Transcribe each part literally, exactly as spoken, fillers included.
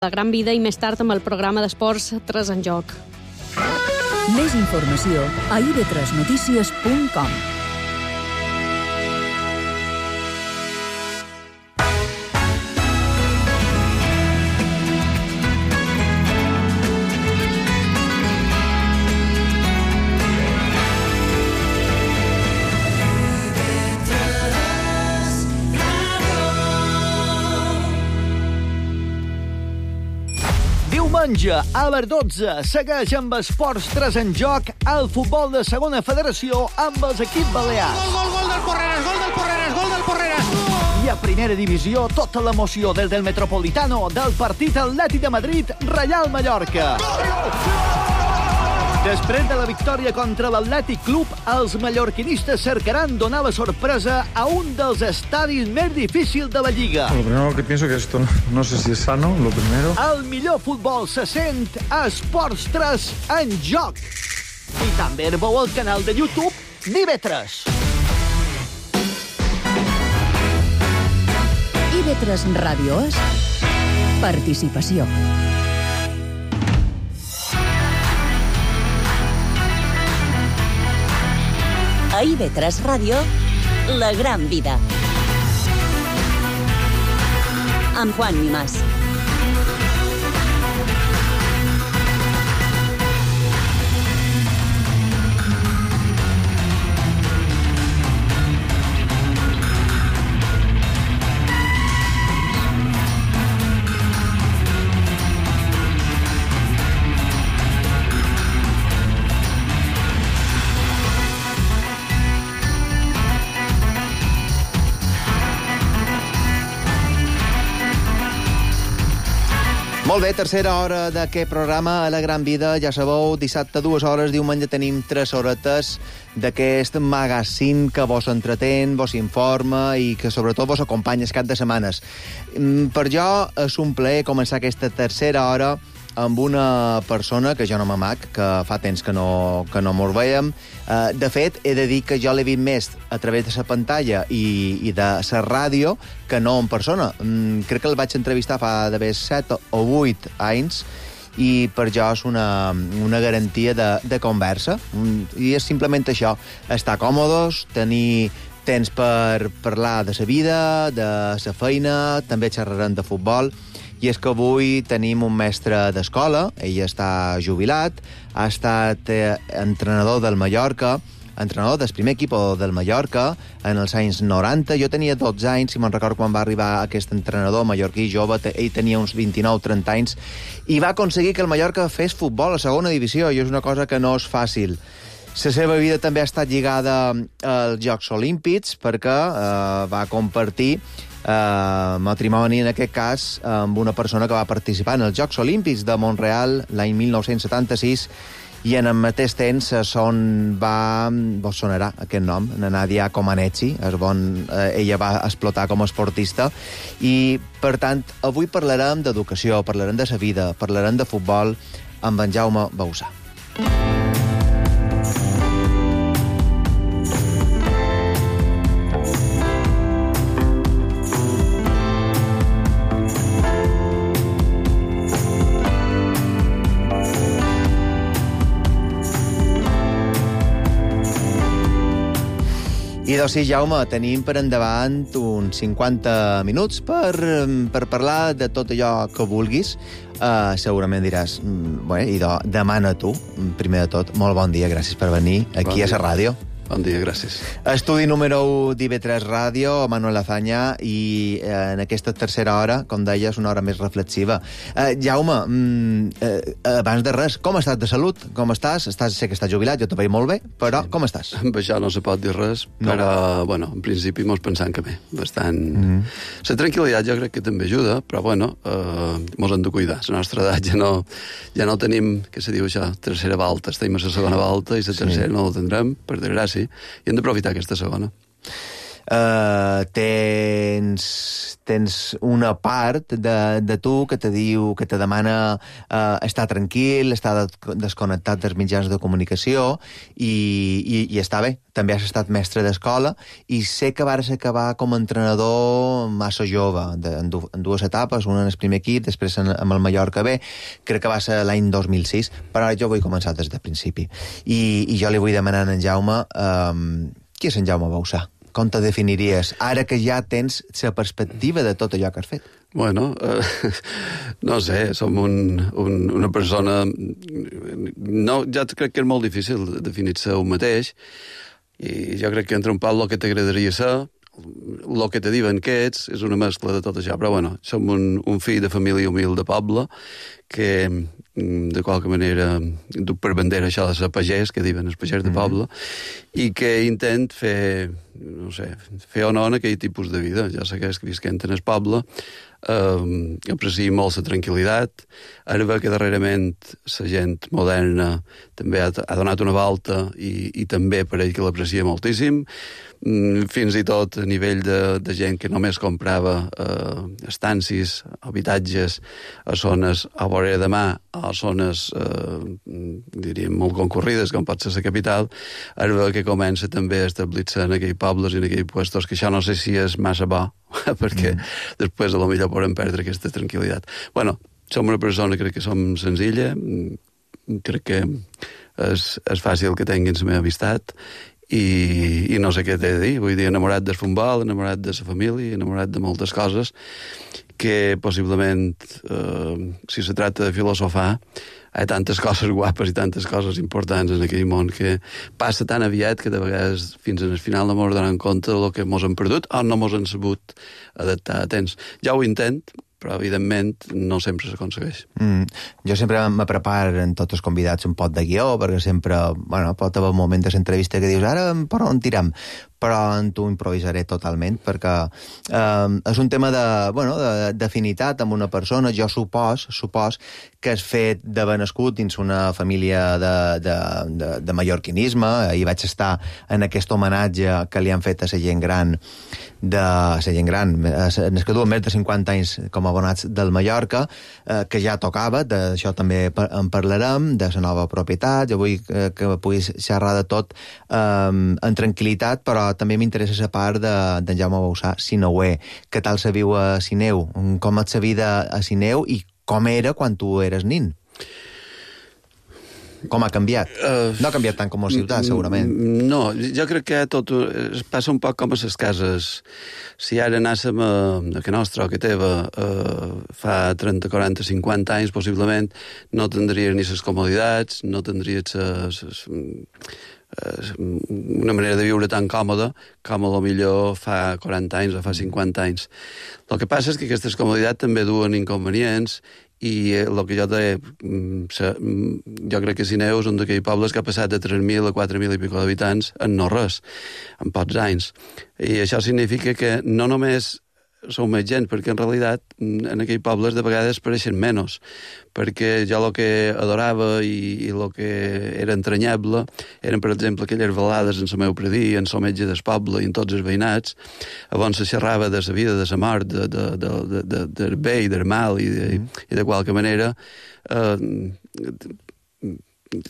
La Gran Vida i més tard amb el programa d'esports tres en joc. Més informació a i be tres notícies punt com. Diumenge, a les dotze, segueix amb Esports tres en joc el futbol de segona federació amb els equips balears. Gol, gol, gol del Porreres, gol del Porreres, gol del Porreres! I a primera divisió, tota l'emoció des del Metropolitano del partit Atlètic de Madrid, Reial Mallorca. Després de la victòria contra l'Atlètic Club, els mallorquinistes cercaran donar la sorpresa a un dels estadis més difícils de la Lliga. Lo primero que pienso que esto no, no sé si es sano, lo primero. El millor futbol se sent a Esports tres en joc. I també veu al canal de YouTube d'I B tres. I be tres Ràdio és participació. A I be tres Ràdio, La Gran Vida. Amb Juan Mimàs. Molt bé, tercera hora d'aquest programa a La Gran Vida. Ja sabeu, dissabte dues hores, diumenge tenim tres horetes d'aquest magazín que vos entretén, vos informa i que sobretot vos acompanya cap de setmanes. Per jo és un plaer començar aquesta tercera hora amb una persona que jo no m'amac, que fa temps que no, que no mos veiem. Uh, de fet, he de dir que jo l'he vist més a través de la pantalla i, i de la ràdio que no en persona. Mm, crec que el vaig entrevistar fa d'haver set o vuit anys i per jo és una, una garantia de, de conversa. I és simplement això, estar còmodes, tenir temps per parlar de la vida, de la feina, també xerrarem de futbol. I és que avui tenim un mestre d'escola, ell està jubilat, ha estat eh, entrenador del Mallorca, entrenador del primer equip del Mallorca en els anys noranta. Jo tenia dotze anys, si me'n recordo quan va arribar aquest entrenador mallorquí jove, ell tenia uns vint-i-nou trenta anys, i va aconseguir que el Mallorca fes futbol a segona divisió, i és una cosa que no és fàcil. La seva vida també ha estat lligada als Jocs Olímpics, perquè eh, va compartir Uh, matrimoni, en aquest cas, amb una persona que va participar en els Jocs Olímpics de Montreal l'any mil nou-cents setanta-sis, i en el mateix temps son va... vos sonarà aquest nom, na Nadia Comaneci, és bon, uh, ella va explotar com a esportista, i, per tant, avui parlarem d'educació, parlarem de sa vida, parlarem de futbol amb en Jaume Bauzà. I doncs sí, Jaume, tenim per endavant uns cinquanta minuts per, per parlar de tot allò que vulguis. Uh, segurament diràs, bé, idò, demana tu, primer de tot. Molt bon dia, gràcies per venir aquí bon a la ràdio. Bon dia, gràcies. Estudi número u d'I B tres Ràdio, Manuel Azaña, i eh, en aquesta tercera hora, com deia, és una hora més reflexiva. Eh, Jaume, mm, eh, abans de res, com estàs de salut? Com estàs? estàs? Sé que estàs jubilat, jo te veig molt bé, però sí. Com estàs? Amb això no se pot dir res, no. Però, bueno, en principi mos pensant que bé, bastant... Mm-hmm. La tranquil·litat jo crec que també ajuda, però, bueno, eh, mos hem de cuidar. La nostra edat ja no, ja no tenim, què se diu això, tercera volta. Estem a la segona volta i la tercera sí. No la tindrem, per desgràcia, i hem d'aprofitar aquesta segona. eh, tens, tens una part de, de tu que te diu, que te demana eh, estar tranquil, estar desconnectat dels mitjans de comunicació i, i, i està bé. També has estat mestre d'escola i sé que vas acabar com a entrenador massa jove, de, en, du, en dues etapes, una en el primer equip, després en, amb el Mallorca B, crec que va ser l'any dos mil sis, però jo vull començar des del principi. I, i jo li vull demanar a en Jaume, um, qui és en Jaume Bausà? Com te definiries, ara que ja tens la perspectiva de tot allò que has fet? Bueno, eh, no sé, som un, un, una persona... No, ja crec que és molt difícil definir-se un mateix, i jo crec que entre un Pablo que t'agradaria ser, el que te diuen que ets, és una mescla de tot això, però bueno, som un, un fill de família humil de poble, que de qualque manera duc per bandera això de ser pagès, que diuen els pagès de poble, mm-hmm. i que intent fer, no sé, fer honor a aquell tipus de vida. Ja sé que és que visquent en el poble, eh, aprecio molt la tranquil·litat, ara ve que darrerament la gent moderna també ha, ha donat una volta i, i també per ell que l'aprecia moltíssim, fins i tot a nivell de, de gent que només comprava eh, estancis, habitatges a zones a vora de mà, a zones eh, diríem molt concurrides com pot ser la capital, ara que comença també a establir-se en aquells pobles i en aquells puestos, que això no sé si és massa bo perquè mm. després a lo millor podem perdre aquesta tranquil·litat. Bueno, som una persona, crec que som senzilla, crec que és, és fàcil que tinguin la meva amistat i, i no sé què t'he de dir, vull dir, enamorat del futbol, enamorat de la família, enamorat de moltes coses que possiblement, eh, si se tracta de filosofar, hi ha tantes coses guapes i tantes coses importants en aquell món que passa tan aviat que de vegades fins al final no mos donem compte del que mos hem perdut o no mos hem sabut adaptar a temps. Ja ho intent, però evidentment no sempre s'aconsegueix. Mm. Jo sempre me preparo en tots els convidats un pot de guió, perquè sempre, bueno, pot haver un moment de l'entrevista que dius, ara per on tiram? Però en tu improvisaré totalment, perquè eh, és un tema de, bueno, d'afinitat amb una persona. Jo supos, supos que has fet d'haver nascut dins una família de, de, de, de mallorquinisme. Ahir vaig estar en aquest homenatge que li han fet a la gent gran, de la gent gran, els que duen més de cinquanta anys com a abonats del Mallorca, eh, que ja tocava, d'això també en parlarem, de la nova propietat. Jo vull que, que puguis xerrar de tot eh, en tranquil·litat, però també m'interessa la part d'en de Jaume Bausà, Sineuer. Què tal se viu a Sineu? Com és la vida a Sineu i com era quan tu eres nin? Com ha canviat? Uh, no ha canviat tant com a ciutat, segurament. No, jo crec que tot es passa un poc com a les cases. Si ara anàssim a, a que nostra o que teva uh, fa trenta, quaranta, cinquanta anys, possiblement, no tindries ni les comoditats, no tindries ses, ses, una manera de viure tan còmoda com a lo millor fa quaranta anys o fa cinquanta anys. El que passa és que aquestes comoditats també duen inconvenients i el que jo deia, jo crec que Sineu és un d'aquells pobles que ha passat de tres mil a quatre mil i pico d'habitants en no res, en pocs anys. I això significa que no només sou més gent, perquè en realitat en aquells pobles de vegades pareixen menys, perquè jo el que adorava i, i el que era entranyable eren, per exemple, aquelles velades en el meu predí, en el metge del poble i en tots els veïnats, on se xerrava de la vida, de la mort, de, de, de, de, de, del bé i del mal, i de, mm. i de qualque manera eh,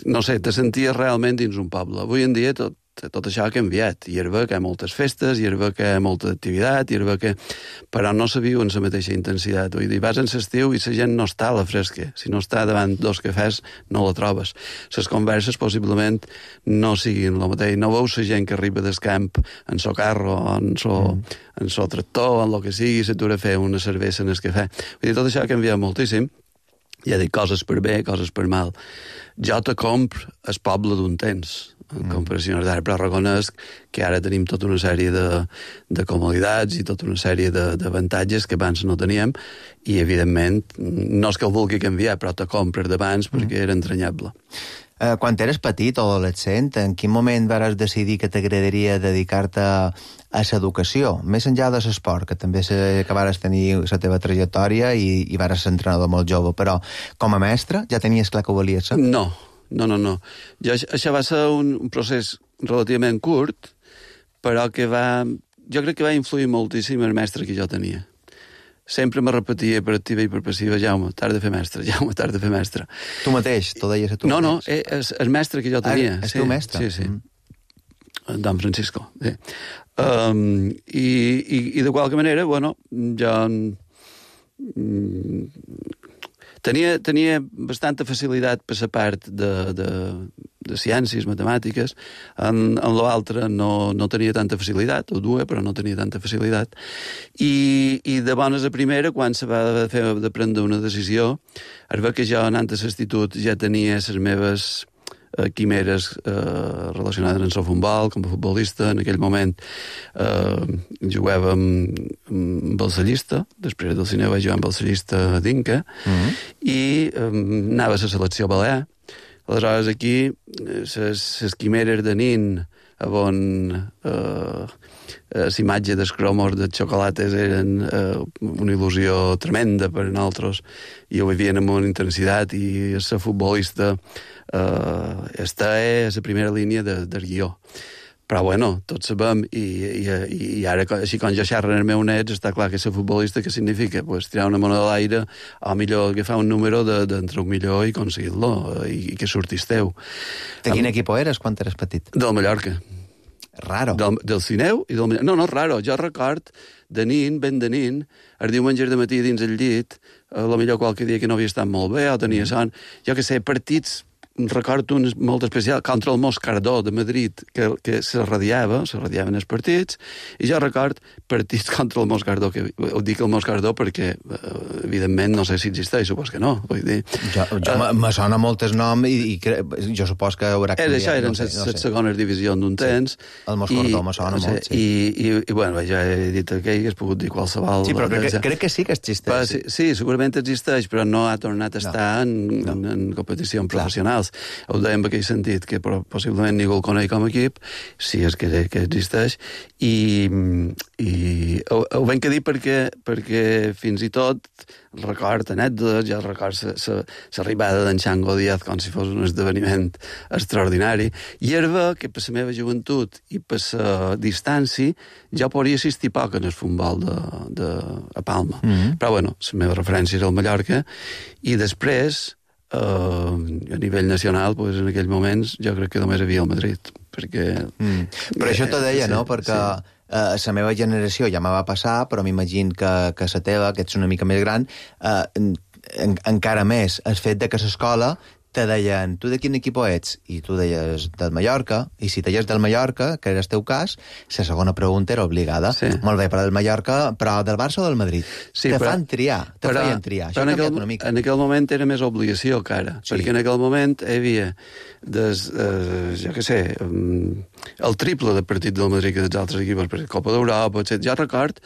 no sé, te senties realment dins un poble. Avui en dia tot tot això ha canviat, i és bé que hi ha moltes festes, i és bé que hi ha molta activitat, i és bé que... però no se viu en la mateixa intensitat. Vull dir, vas en l'estiu i la gent no està a la fresca. Si no està davant dos cafès, no la trobes. Les converses possiblement no siguin el mateix. No veus la gent que arriba del camp en so carro, en so, mm. en so tractor, en el que sigui, s'atura a fer una cervesa en el cafè. Vull dir, tot això ha canviat moltíssim. Ja dic, coses per bé, coses per mal. Jo te compro el poble d'un temps, en comparació d'ara, però reconec que ara tenim tota una sèrie de, de comoditats i tota una sèrie d'avantatges que abans no teníem, i evidentment no és que el vulgui canviar, però te compres d'abans perquè era entranyable. Eh, quan eres petit o adolescent, en quin moment vas decidir que t'agradaria dedicar-te a l'educació, més enllà de l'esport, que també sé que vas tenir la teva trajectòria i, i vas ser entrenador molt jove, però com a mestre ja tenies clar que ho volies ser? No, no, no, no. Jo, això va ser un, un procés relativament curt, però que va jo crec que va influir moltíssim el mestre que jo tenia. Sempre me repetia per activa i per passiva, Jaume, t'has de fer mestre, Jaume, t'has de fer mestre. Tu mateix, t'ho deies a tu No, mateix. no, és el mestre que jo tenia. Ah, és sí, teu mestre? Sí, sí. Mm. Don Francisco, sí. Um, i, i, I de qualque manera, bueno, jo... Mm, tenia, tenia bastanta facilitat per la part de, de, de ciències, matemàtiques. En, en l'altre no, no tenia tanta facilitat, ho duia, però no tenia tanta facilitat. I, i de bones a primera, quan se va fer de prendre una decisió, es va que jo, anant a l'institut, ja tenia les meves eh, quimeres eh, relacionades amb el futbol, com a futbolista. En aquell moment eh, jugava amb, amb Balsallista, després del cine vaig jugar amb Balsallista a Dinca, mm-hmm. i eh, anava a la selecció balear. Aleshores, aquí, les quimeres de nin, on eh, l'imatge dels cromos de xocolates eren eh, una il·lusió tremenda per a nosaltres, i ho vivien amb una intensitat, i ser futbolista eh, està a la primera línia de, del guió. Però, bueno, tots sabem, i, i, i ara, així com jo xerro en el meu net, està clar que ser futbolista, què significa? Pues tirar una moneda a l'aire, o millor agafar un número d'entre de, un millor i aconseguir-lo, i, i que surtis teu. De quin equip eres quan eres petit? Del Mallorca. Raro. Del, del Cineu i del Mallorca. No, no, raro. Jo record de nin, ben de nin, els diumenges de matí dins el llit, a lo millor qualque dia que no havia estat molt bé, o tenia son, jo que sé, partits, recordo un molt especial, contra el Moscardó de Madrid, que, que se radiava, se radiaven els partits, i jo record partits contra el Moscardó, que ho dic el Moscardó perquè, evidentment, no sé si existeix, supos que no. Vull dir, jo jo uh, me sona molt el nom, i, i cre... jo supos que haurà canviat. Això eren no sé, les no sé. segones divisions d'un temps. Sí. El Moscardó me sona sí, molt, sí. I, i, i, bueno, ja he dit aquell que has pogut dir qualsevol... Sí, però crec, ja. crec que sí que existeix. Sí, sí, segurament existeix, però no ha tornat a estar no. en, no. en, en competicions professionals. Ho dèiem en aquell sentit, que possiblement ningú el coneix com a equip, si és que, que existeix, i, i ho, ho vam que dir perquè, perquè fins i tot record anècdotes, ja record l'arribada d'en Xango Díaz com si fos un esdeveniment extraordinari, i era que per la meva joventut i per la distància jo podria assistir poc en el futbol de, de, a Palma. Mm-hmm. Però, bueno, la meva referència era el Mallorca, i després Uh, a nivell nacional, pues, en aquells moments jo crec que només havia el Madrid, perquè... Mm. Però això t'ho deia, sí, no? Perquè sí. uh, la meva generació ja me va passar, però m'imagino que, que la teva, que ets una mica més gran, uh, en, en, encara més, el fet de que a l'escola te deien, tu de quin equip ets? I tu deies del Mallorca, i si deies del Mallorca, que era el teu cas, la segona pregunta era obligada. Sí. Molt bé, però del Mallorca, però del Barça o del Madrid? Sí, te però, fan triar, te però, feien triar. Això ha en canviat aquell, una mica. en aquell moment era més obligació que ara, sí. Perquè en aquell moment hi havia, des, eh, jo què sé, um, el triple de partit del Madrid que dels altres equips, per Copa d'Europa, etcètera. Jo record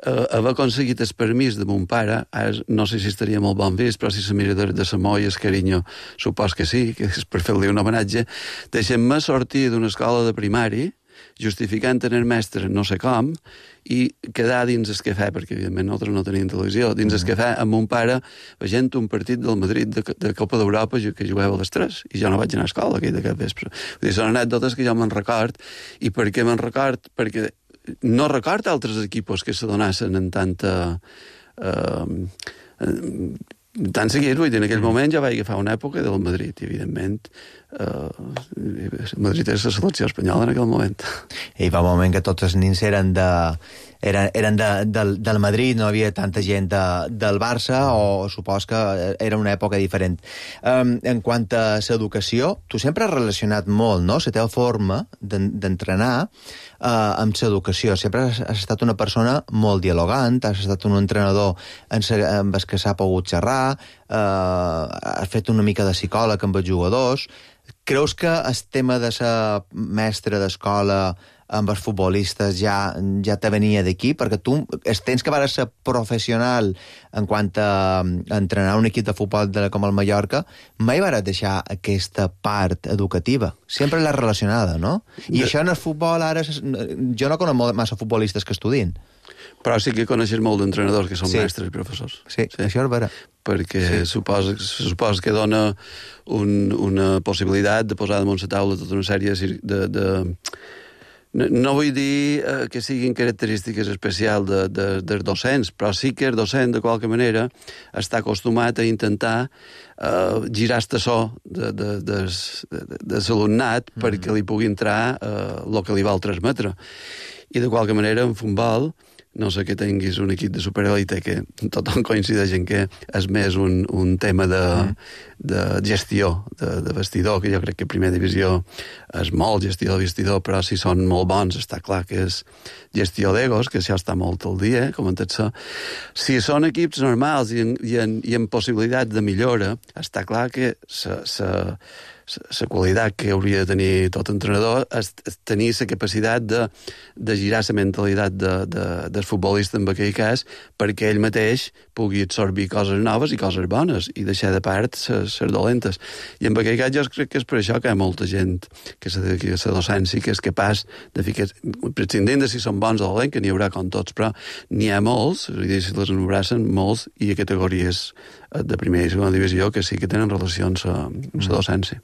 Uh, haver aconseguit el permís de mon pare, ara no sé si estaria molt bon vist, però si se mira de, de Samoy, el carinyo, supos que sí, que és per fer-li un homenatge, deixem-me sortir d'una escola de primari, justificant en el mestre no sé com, i quedar dins el cafè, perquè evidentment nosaltres no teníem televisió, dins el cafè amb mon pare veient un partit del Madrid de, de Copa d'Europa que jugava a les tres, i jo no vaig anar a escola aquell de cap vespre. Vull dir, són anècdotes que jo me'n record, i per què me'n record? Perquè no record altres equipos que se donassin en tanta... Eh, tant seguit, vull dir, en aquell moment ja vaig agafar una època del Madrid, i evidentment eh, el Madrid és la selecció espanyola en aquell moment. I va un moment que tots els nins eren de... eren, eren de, del, del Madrid, no havia tanta gent de, del Barça, o supos que era una època diferent. Um, en quant a l'educació, tu sempre has relacionat molt, no?, la teva forma d'entrenar uh, amb l'educació. Sempre has, has estat una persona molt dialogant, has estat un entrenador en sa, amb el que s'ha pogut xerrar, uh, has fet una mica de psicòleg amb els jugadors. Creus que el tema de ser mestre d'escola amb els futbolistes ja, ja te venia d'aquí? Perquè tu tens que vas ser professional en quant a entrenar un equip de futbol de, com el Mallorca, mai vas deixar aquesta part educativa. Sempre l'has relacionada, no? I de... això en el futbol ara... Jo no conec massa futbolistes que estudien. Però sí que coneixes molt d'entrenadors que són sí. mestres i professors. Sí, sí, això és vera. Perquè sí. suposa, suposa que dona un, una possibilitat de posar damunt la taula tota una sèrie de... de No, no vull dir eh, que siguin característiques especials de, de, dels docents, però sí que el docent, de qualque manera, està acostumat a intentar eh, girar el so de, de, de, de, de l'alumnat mm-hmm. perquè li pugui entrar el eh, que li vol transmetre. I de qualque manera, en futbol, no sé que tinguis un equip de superelite que tothom coincideix en que és més un, un tema de, mm. de gestió de, de vestidor, que jo crec que primera divisió és molt gestió de vestidor, però si són molt bons està clar que és gestió d'egos, que això està molt al dia, eh, com en tot això. Si són equips normals i en, i en, i en possibilitats de millora, està clar que se, se, la qualitat que hauria de tenir tot entrenador és tenir la capacitat de, de girar la mentalitat de, de, del futbolista en aquell cas perquè ell mateix pugui absorbir coses noves i coses bones i deixar de part les dolentes. I en aquell cas jo crec que és per això que hi ha molta gent que se dedica a la docència que és capaç de ficar, prescindint de si són bons o dolents, que n'hi haurà com tots, però n'hi ha molts, i si les enubrassen, molts, i a categories de primera i segona divisió que sí que tenen relacions amb la docència.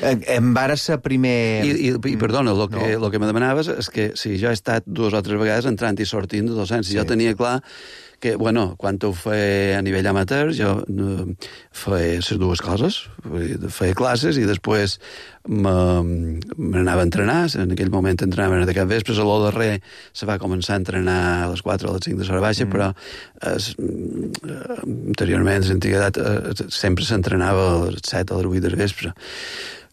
Em vara ser primer... I, i, i perdona, el que, no. lo que me demanaves és que si jo he estat dues o tres vegades entrant i sortint de docència, sí. Jo tenia clar que, bueno, quan ho feia a nivell amateur, jo no, feia les dues coses, feia classes i després m'anava a entrenar, en aquell moment entrenava de cap vespre, a l'o darrer se va començar a entrenar a les quatre o a les cinc de l'hora baixa, mm. però es, anteriorment, l'antiguitat, sempre s'entrenava a les set o a les vuit del vespre.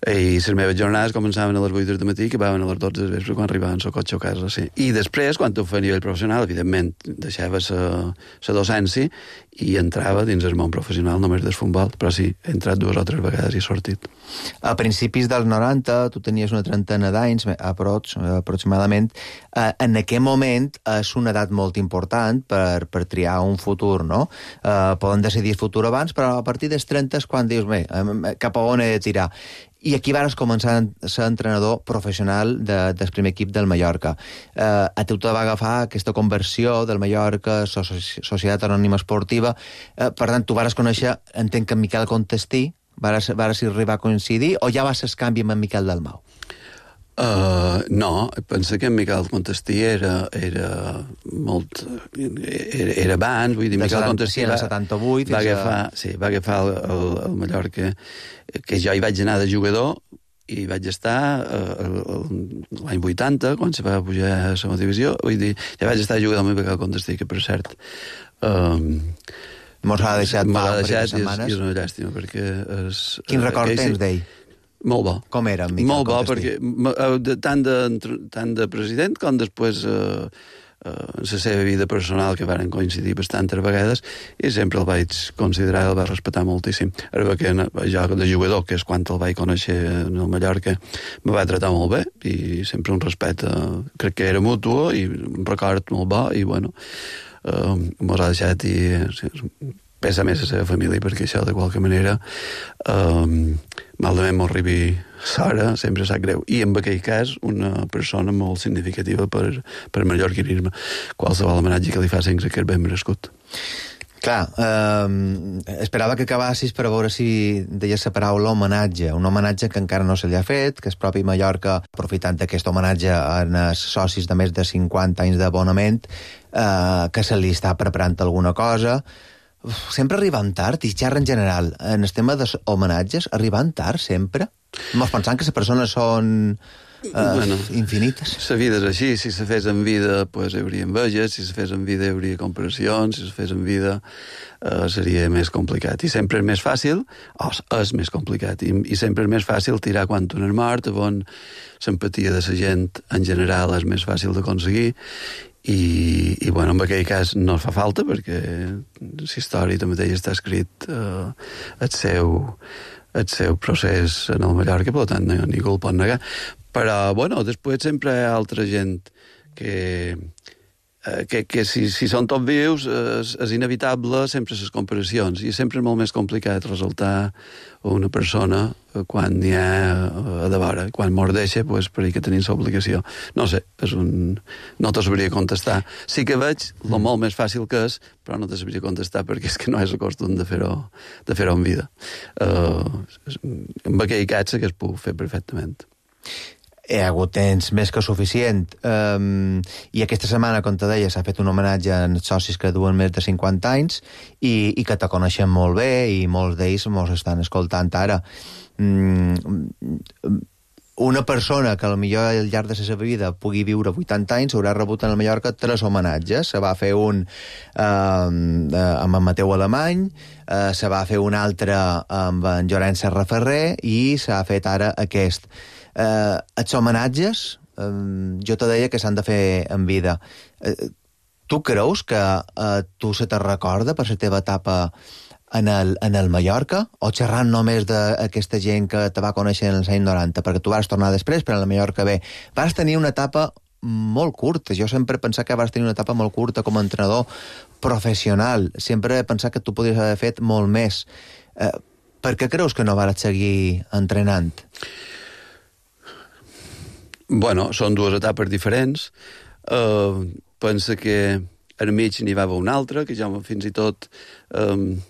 I les meves jornades començaven a les vuit del matí i acabaven a les dotze del vespre quan arribaven al cotxe a casa. Sí. I després, quan ho feia a nivell professional, evidentment, deixava la docència i entrava dins el món professional només del futbol, però sí, he entrat dues o tres vegades i he sortit. A principis dels noranta, tu tenies una trentena d'anys, aprox, aproximadament. En aquell moment és una edat molt important per, per triar un futur, no? Eh, poden decidir el futur abans, però a partir dels trenta és quan dius, bé, cap a on he de tirar. I aquí vas començar a ser entrenador professional de, del primer equip del Mallorca. Eh, a tu te va agafar aquesta conversió del Mallorca, Societat Anònima Esportiva. Eh, per tant, tu vas conèixer, entenc que en Miquel Contestí, vas, vas arribar a coincidir, o ja vas ser canvi amb en Miquel Dalmau? Uh, no, penso que en Miquel Contestí era, era molt... Era, era abans, vull dir, de Miquel Contestí va, setanta-vuit, va, agafar, a... sí, va agafar el, el, el Mallorca, que jo hi vaig anar de jugador i vaig estar uh, l'any vuitanta, quan se va pujar a la segona divisió, vull dir, ja vaig estar a jugar amb Miquel Contestí, que per cert... Um, Mos ha deixat fa un parell de setmanes. I és una llàstima, perquè... És, Quin record tens d'ell? Molt bo. Com era, Miquel Molt bo, Contestí? perquè tant de, tant de president com després eh, eh, en la seva vida personal, que varen coincidir bastantes vegades, i sempre el vaig considerar, el vaig respectar moltíssim. Ara que jo de jugador, que és quan el vaig conèixer en el Mallorca, me va tratar molt bé, i sempre un respecte, crec que era mutuo, i un record molt bo, i bueno, eh, mos ha deixat i... Sí, pesa més a la seva família, perquè això, de qualque manera, um, malament m'ho arribi Sara, sempre sap greu. I en aquell cas, una persona molt significativa per, per mallorquinisme. Qualsevol homenatge que li facin que és ben merescut. Clar, eh, esperava que acabassis per veure si deies la paraula homenatge, un homenatge que encara no se li ha fet, que és propi Mallorca, aprofitant aquest homenatge en els socis de més de cinquanta anys d'abonament, eh, que se li està preparant alguna cosa. Uf, sempre arriben tard, i xerra en general, en el tema dels homenatges, arriben tard sempre? Mos pensant que les persones són eh, bueno, infinites. La vida és així, si se fes en vida pues, hi hauria enveges, si se fes en vida hi hauria comparacions, si se fes en vida eh, seria més complicat. I sempre és més fàcil, o és més complicat, i, i sempre és més fàcil tirar quan un és mort, on l'empatia de la gent en general és més fàcil d'aconseguir. I, i bueno, en aquell cas no fa falta, perquè la història també està escrit eh, el, seu, el seu procés en el Mallorca, per tant ningú el pot negar, però bueno, després sempre hi ha altra gent que, eh, que, que si, si són tots vius és, és inevitable sempre les comparacions, i sempre és molt més complicat resultar una persona quan n'hi ha a de vora. Quan mos deixa, pues, per que tenim l'obligació. No sé, és un... no te sabria contestar. Sí que veig el molt més fàcil que és, però no te sabria contestar perquè és que no és el costum de fer-ho de fer-ho en vida. Uh, en aquell cas que es puc fer perfectament. hi ha hagut temps més que suficient. Um, I aquesta setmana, com te deia, s'ha fet un homenatge als socis que duen més de cinquanta anys i, i que te coneixen molt bé i molts d'ells mos estan escoltant ara. Um, una persona que potser al llarg de la seva vida pugui viure vuitanta anys haurà rebut en el Mallorca tres homenatges. Se va fer un eh, amb en Mateu Alemany, eh, se va fer un altre amb en Llorenç Serraferrer i s'ha fet ara aquest. Eh, els homenatges, eh, jo te deia que s'han de fer en vida. Eh, tu creus que eh, tu se te recorda per la teva etapa en el, en el Mallorca, o xerrant només d'aquesta gent que te va conèixer en els anys noranta, perquè tu vas tornar després, però en el Mallorca bé. Vas tenir una etapa molt curta. Jo sempre he pensat que vas tenir una etapa molt curta com a entrenador professional. Sempre he pensat que tu podries haver fet molt més. Eh, per què creus que no vas seguir entrenant? Bueno, són dues etapes diferents. Uh, pensa que al mig n'hi va haver una altra, que ja fins i tot... Um,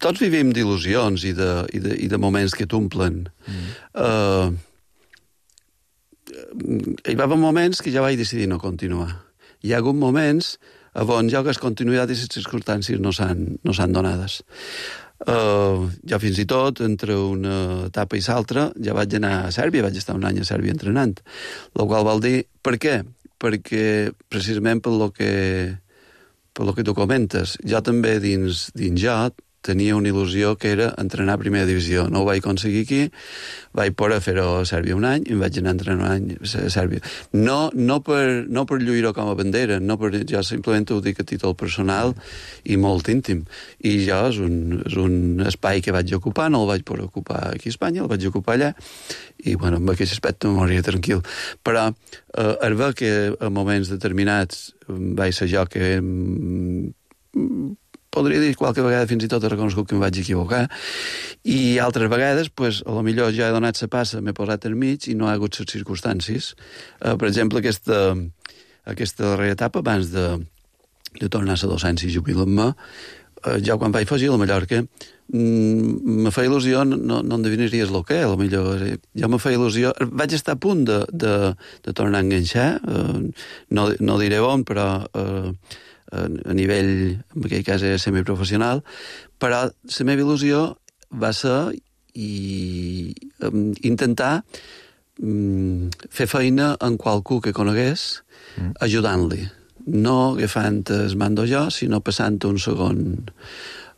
tots vivim d'il·lusions i de, i, de, i de moments que t'omplen. Mm. Uh, hi va haver moments que ja vaig decidir no continuar. Hi ha hagut moments on ja les continuïtat i les circumstàncies no s'han no s'han donades. Uh, ja fins i tot, entre una etapa i l'altra, ja vaig anar a Sèrbia, vaig estar un any a Sèrbia entrenant. El qual vol dir, per què? Perquè precisament per lo que, per lo que tu comentes, jo també dins, dins jo tenia una il·lusió que era entrenar a primera divisió. No ho vaig aconseguir aquí, vaig poder fer-ho a Sèrbia un any i em vaig anar a entrenar un any a Sèrbia. No, no, per, no per lluir-ho com a bandera, no per, jo simplement ho dic a títol personal i molt íntim. I jo és un, és un espai que vaig ocupar, no el vaig poder ocupar aquí a Espanya, el vaig ocupar allà, i bueno, amb aquest aspecte me moria tranquil. Però eh, al veure que a moments determinats vaig ser jo que... Mm, podria dir qualque vegada fins i tot he reconegut que em vaig equivocar, i altres vegades, pues, a lo millor ja he donat la passa, m'he posat al mig i no ha hagut les circumstàncies. Uh, per exemple, aquesta, aquesta darrera etapa, abans de, de tornar a la docència i jubilar-me, uh, jo quan vaig fugir a la Mallorca, mm, me feia il·lusió, no, no endevinaries el que, a lo millor, jo me feia il·lusió, vaig estar a punt de, de, de tornar a enganxar, uh, no, no diré on, però... Uh, a nivell, en aquell cas era semiprofessional, però la meva il·lusió va ser i, um, intentar um, fer feina en qualcú que conegués, mm. ajudant-li. No agafant el mando jo, sinó passant un segon...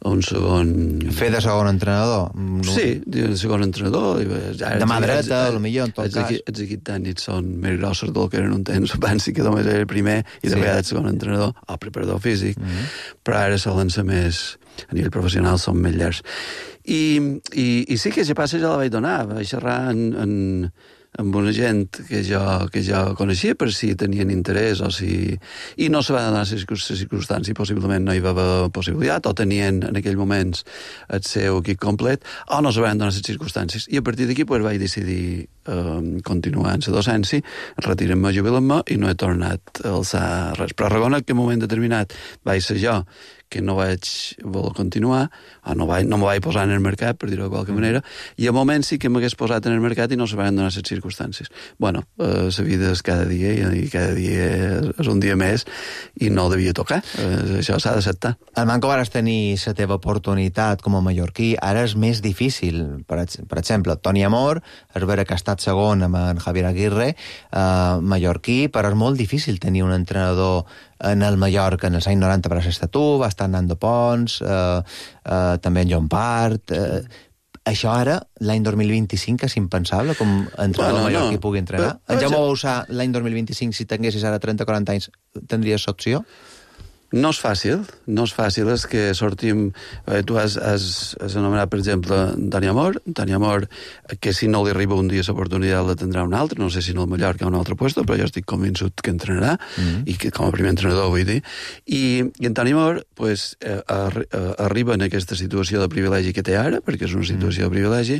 un segon... Fer de segon entrenador? Sí, de segon entrenador. De mà dreta, potser, en tot cas. Els equips tècnics són més grossos del que eren un temps. Abans sí que només era el primer i de vegades el segon entrenador, o preparador físic, mm -hmm. però ara solen ser més... a nivell professional són més llargs. I, i, i sí que aquesta passa ja la vaig donar. Vaig xerrar en... en amb una gent que jo, que jo coneixia per si tenien interès o si... I no se va donar les circumstàncies, possiblement no hi va haver possibilitat, o tenien en aquells moments el seu equip complet, o no se van donar les circumstàncies. I a partir d'aquí pues, vaig decidir eh, continuar en la docència, retirar-me, jubilar-me, i no he tornat a alçar res. Però reconec que en un moment determinat vaig ser jo que no vaig voler continuar, o no, vaig, no me vaig posar en el mercat, per dir-ho de qualque manera, i a moments sí que m'hagués posat en el mercat i no se van donar les circumstàncies. Bueno, eh, la vida és cada dia, i cada dia és un dia més, i no devia tocar. Eh, això s'ha d'acceptar. Al Manco vares tenir la teva oportunitat com a mallorquí, ara és més difícil. Per, per exemple, Toni Amor, és vera que ha estat segon amb en Javier Aguirre, eh, mallorquí, però és molt difícil tenir un entrenador en el Mallorca, en els anys noranta per estar tu, va estar en Nando Pons, eh, eh, també en John Part... Eh, això ara, l'any dos mil vint-i-cinc, és impensable, com entrenador bueno, mallorquí no. pugui entrenar? Però, en Jaume Bausà, l'any dos mil vint-i-cinc, si tinguessis ara trenta o quaranta anys, tindries opció? No és fàcil, no és fàcil, és que sortim... Eh, tu has, has, has anomenat, per exemple, Toni Amor, Toni Amor, que si no li arriba un dia l'oportunitat la tindrà un altre, no sé si no el Mallorca o un altre puesto, però jo estic convençut que entrenarà, mm-hmm. i que com a primer entrenador vull dir. I, i en Toni Amor, pues, eh, arri eh, arriba en aquesta situació de privilegi que té ara, perquè és una situació mm. de privilegi,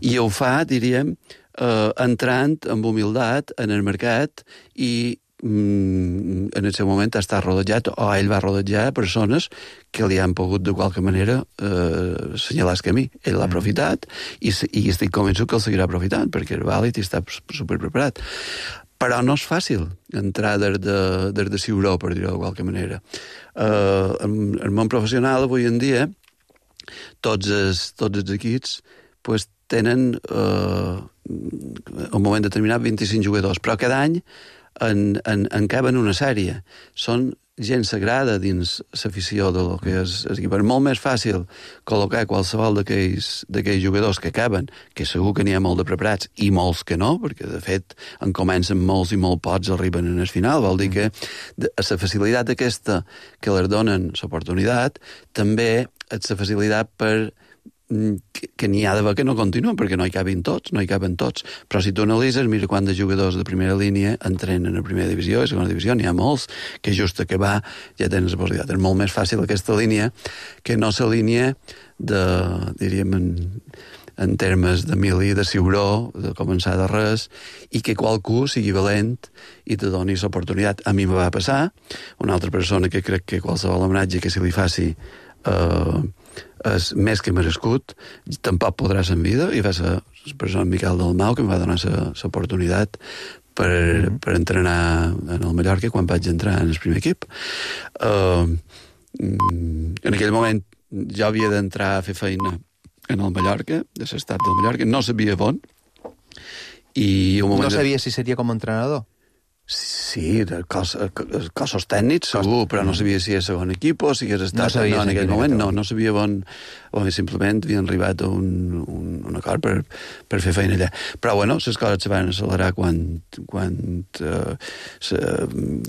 i ho fa, diríem, eh, entrant amb humilitat en el mercat i mm, en el seu moment ha estat rodejat, o ell va rodejar persones que li han pogut de qualque manera eh, assenyalar el camí. Ell l'ha aprofitat i, i estic convençut que el seguirà aprofitant, perquè és vàlid i està superpreparat. Però no és fàcil entrar des de, des de Ciuró, per dir-ho de qualque manera. Eh, en el món professional, avui en dia, tots els, tots els equips pues, tenen eh, un moment determinat vint-i-cinc jugadors, però cada any en, en, en caben una sèrie. Són gent sagrada dins l'afició de lo que és l'equip. És molt més fàcil col·locar qualsevol d'aquells jugadors que caben, que segur que n'hi ha molt de preparats, i molts que no, perquè de fet en comencen molts i molt pocs arriben en el final. Vol dir que a la facilitat aquesta que les donen l'oportunitat, també és la facilitat per que, que n'hi ha d'haver que no continuen, perquè no hi caben tots, no hi caben tots. Però si tu analitzes, mira quants de jugadors de primera línia entrenen a primera divisió i segona divisió, n'hi ha molts que just a acabar ja tenen la possibilitat. És molt més fàcil aquesta línia que no la línia de, diríem, en, en termes de mili, de Ciuró, de començar de res, i que qualcú sigui valent i te doni l'oportunitat. A mi me va passar, una altra persona que crec que qualsevol homenatge que se li faci eh, és més que merescut, tampoc podrà ser en vida, i va ser la persona Miquel Dalmau que em va donar l'oportunitat per, mm-hmm. per entrenar en el Mallorca quan vaig entrar en el primer equip. Uh, en aquell moment jo havia d'entrar a fer feina en el Mallorca, de l'estat del Mallorca, no sabia on, i un moment... No sabia si seria com a entrenador? Sí, de cos, cossos tècnics, segur, però no sabia si és segon equip o si hagués estat... No, no en aquell moment no, no sabia on, on simplement havien arribat a un, un, un acord per, per fer feina allà. Però, bueno, les coses se van accelerar quan, quan uh, se,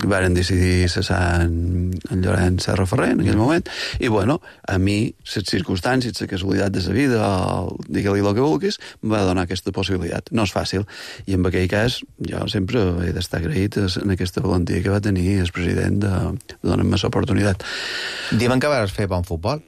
varen decidir cessar en, en Llorenç Serra Ferrer en aquell moment, i, bueno, a mi, les circumstàncies, la casualitat de la vida, o digue-li el que vulguis, em va donar aquesta possibilitat. No és fàcil, i en aquell cas jo sempre he d'estar agraït en aquesta valentia que va tenir el president de, de donar-me l'oportunitat. Diuen que vas fer bon futbol.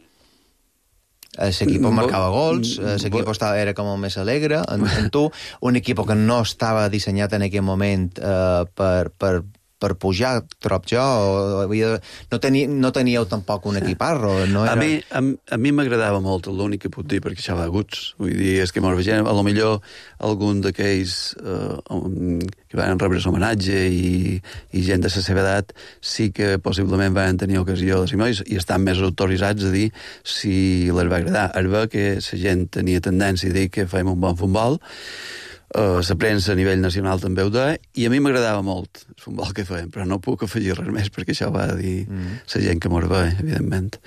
L'equip marcava gols, l'equip era com el més alegre, en, en tu, un equip que no estava dissenyat en aquell moment eh, per, per, per pujar, trob jo, o havia, no, teni, no teníeu tampoc un equiparro. No era... A mi a, a mi m'agradava molt, l'únic que puc dir, perquè això va aguts. Vull dir, és que mos vegem, a lo millor algun d'aquells eh, que van rebre l'homenatge i, i gent de la seva edat sí que possiblement van tenir ocasió de ser i estan més autoritzats a dir si les va agradar. Es va que la gent tenia tendència a dir que fèiem un bon futbol, Uh, la premsa a nivell nacional també ho deia, i a mi m'agradava molt el futbol que feien, però no puc afegir res més perquè això va dir mm. la gent que mos veia, evidentment.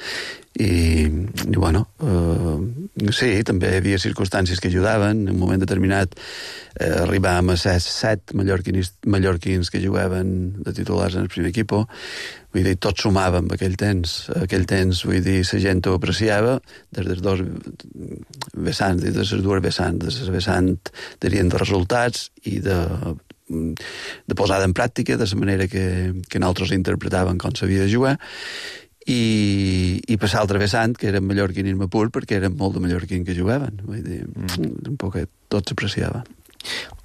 I, i bueno, uh, sí, també hi havia circumstàncies que ajudaven. En un moment determinat eh, arribàvem a set, set mallorquins, mallorquins que jugaven de titulars en el primer equip. Vull dir, tots sumàvem aquell temps. Aquell temps, vull dir, la gent ho apreciava des dels dos vessants, des de les dues vessants, de les vessants, dirien, de resultats i de, de posada en pràctica, de la manera que, que nosaltres interpretàvem com s'havia de jugar, i, i per l'altre vessant, que era mallorquinisme pur, perquè eren molt de mallorquins que jugaven. Vull dir, mm. un poc tot s'apreciava.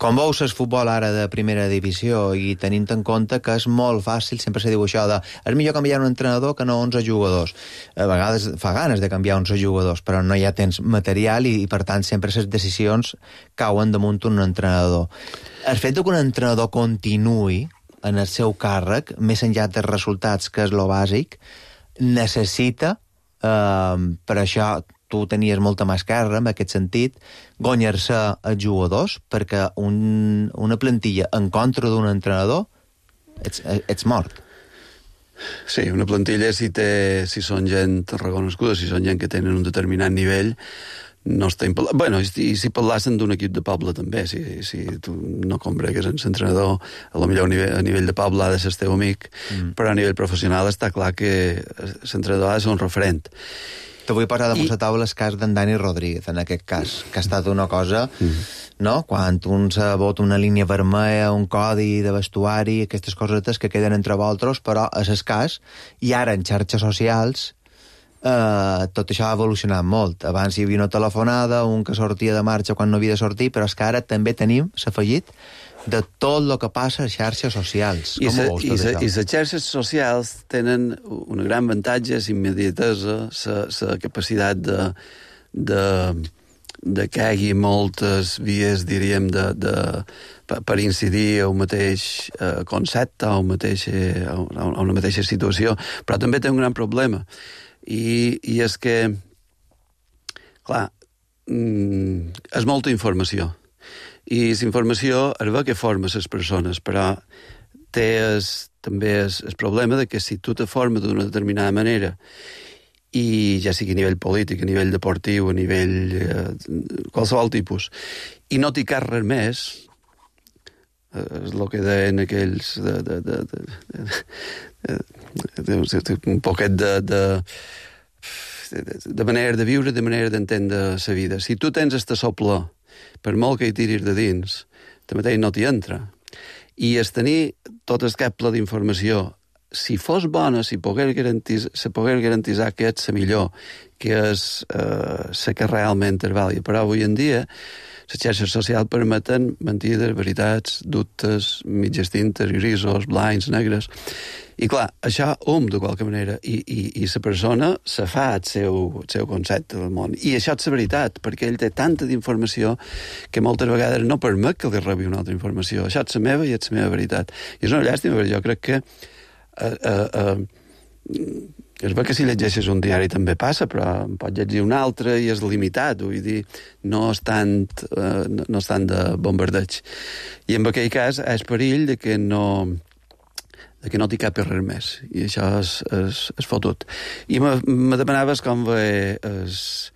Com veus el futbol ara de primera divisió i tenint en compte que és molt fàcil, sempre se diu això de és millor canviar un entrenador que no onze jugadors. A vegades fa ganes de canviar onze jugadors, però no hi ha temps material i, i per tant sempre les decisions cauen damunt un entrenador. El fet que un entrenador continuï en el seu càrrec, més enllà dels resultats, que és lo bàsic, necessita, eh, per això tu tenies molta mà esquerra, en aquest sentit, guanyar-se els jugadors, perquè un, una plantilla en contra d'un entrenador, ets, ets mort. Sí, una plantilla, si, té, si són gent reconeguda, si són gent que tenen un determinat nivell, no està impel·lat. Bueno, i si parlassen d'un equip de poble també, si, si tu no combregues en l'entrenador, a lo millor a nivell, a nivell de poble ha de ser el teu amic, mm. però a nivell professional està clar que l'entrenador ha de ser un referent. Te vull posar damunt la taula el cas d'en Dani Rodríguez, en aquest cas, que ha estat una cosa, mm. no? Quan un se vota una línia vermella, un codi de vestuari, aquestes cosetes que queden entre vosaltres, però és el cas, i ara en xarxes socials eh, tot això ha evolucionat molt. Abans hi havia una telefonada, un que sortia de marxa quan no havia de sortir, però és que ara també tenim, s'ha afegit, de tot el que passa a xarxes socials. I Com ho veus, tot això? I les xarxes socials tenen un gran avantatge, la immediatesa, la capacitat de, de, de que hi hagi moltes vies, diríem, de, de, per incidir a un mateix eh, concepte, a, un mateix, a una mateixa situació, però també té un gran problema. I, i és que, clar, és molta informació. I la informació es ve que forma les persones, però té es, també el problema de que si tu te formes d'una determinada manera, i ja sigui a nivell polític, a nivell deportiu, a nivell eh, qualsevol tipus, i no t'hi cas res més, eh, és el que deien aquells de, de, de, de, de, de, de, un poquet de, de, de, de manera de viure, de manera d'entendre la vida. Si tu tens esta sopla, per molt que hi tiris de dins, també no t'hi entra. I es tenir tot el cap ple d'informació, si fos bona, si pogués garantir, se pogués garantir que és la millor, que és eh, la que realment és vàlida. Però avui en dia, les xarxes socials permeten mentides, veritats, dubtes, mitges tintes, grisos, blancs, negres. I clar, això hom, de qualque manera, i, i, i la persona se fa el seu, el seu concepte del món. I això és la veritat, perquè ell té tanta d'informació que moltes vegades no permet que li rebi una altra informació. Això és la meva i és la meva veritat. I és una llàstima, perquè jo crec que eh, eh, eh, és bé que si llegeixes un diari també passa, però en pots llegir un altre i és limitat, vull dir, no és tant, eh, no és tant de bombardeig. I en aquell cas és perill de que no... de que no t'hi cap res més, i això és, és, és fotut. I me, me demanaves com ve es,